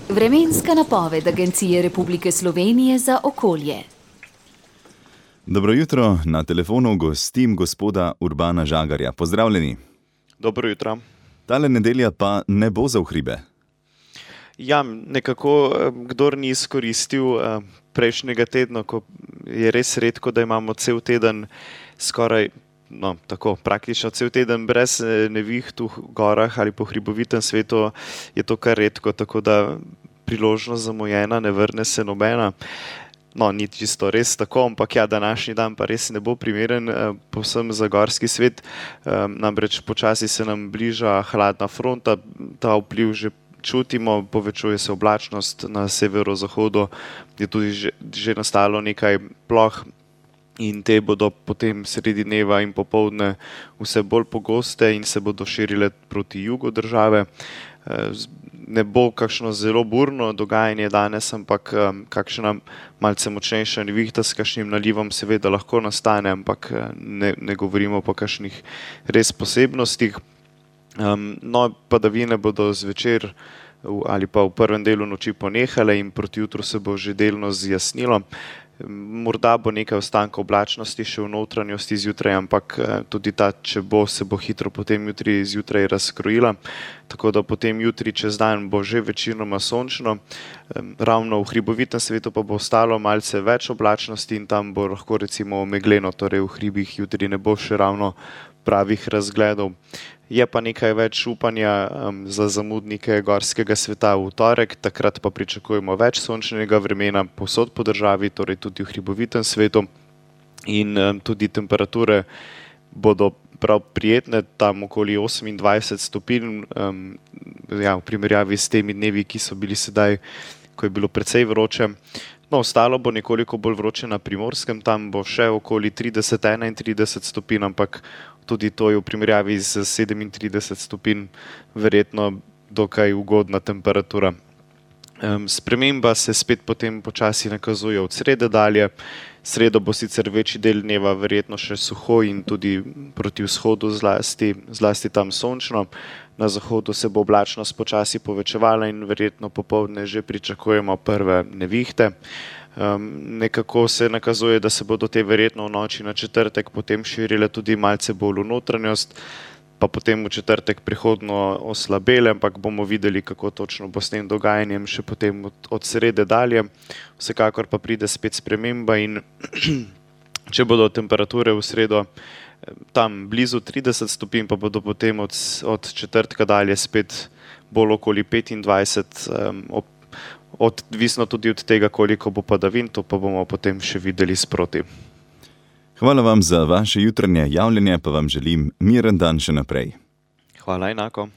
Vremenska napoved Agencije Republike Slovenije za okolje. Dobro jutro, na telefonu gostim gospoda Urbana Žagarja. Pozdravljeni. Dobro jutro. Tale nedelja pa ne bo za v hribe. Ja, nekako, kdor ni izkoristil prejšnjega tedna, ko je res redko, da imamo cel teden skoraj, tako praktično cel teden brez neviht v gorah ali po hribovitem svetu, je to kar redko, tako da priložnost zamujena, ne vrne se nobena. Ni čisto res tako, ampak ja, današnji dan pa res ne bo primeren povsem za gorski svet. Namreč počasi se nam bliža hladna fronta, ta vpliv že čutimo, povečuje se oblačnost na severozahodu, je tudi že nastalo nekaj ploh in te bodo potem sredi dneva in popoldne vse bolj pogoste in se bodo širile proti jugu države. Ne bo kakšno zelo burno dogajanje danes, ampak kakšna malce močnejša nevihta s kakšnim nalivom seveda lahko nastane, ampak ne govorimo po kakšnih res posebnostih. Padavine bodo zvečer ali pa v prvem delu noči ponehale in proti jutru se bo že delno zjasnilo. Morda bo nekaj ostanka oblačnosti še v notranjosti zjutraj, ampak tudi ta, če bo, se bo hitro potem jutri zjutraj razkrojila. Tako da potem jutri čez dan bo že večinoma sončno. Ravno v hribovitem svetu pa bo ostalo malce več oblačnosti in tam bo lahko recimo megleno, torej v hribih jutri ne bo še ravno pravih razgledov. Je pa nekaj več upanja za zamudnike gorskega sveta v torek, takrat pa pričakujemo več sončnega vremena povsod po državi, torej tudi v hribovitem svetu. In tudi temperature bodo prav prijetne, tam okoli 28 stopinj, v primerjavi s temi dnevi, ki so bili sedaj, ko je bilo precej vroče. Ostalo bo nekoliko bolj vroče na Primorskem, tam bo še okoli 30-31 stopinj, ampak tudi to je v primerjavi z 37 stopinj verjetno dokaj ugodna temperatura. Sprememba se spet potem počasi nakazuje od srede dalje. Sredo bo sicer večji del dneva verjetno še suho in tudi proti vzhodu zlasti tam sončno. Na zahodu se bo oblačnost počasi povečevala in verjetno popoldne že pričakujemo prve nevihte. Nekako se nakazuje, da se bodo te verjetno v noči na četrtek potem širile tudi malce bolj v notranjost, pa potem v četrtek prihodno oslabele, ampak bomo videli, kako točno bo s tem dogajanjem še potem od srede dalje. Vsekakor pa pride spet sprememba in če bodo temperature v sredo tam blizu 30 stopinj, pa bodo potem od četrtka dalje spet bolj okoli 25, odvisno tudi od tega, koliko bo padavin, to pa bomo potem še videli sproti. Hvala vam za vaše jutranje javljanje, pa vam želim miren dan še naprej. Hvala enako.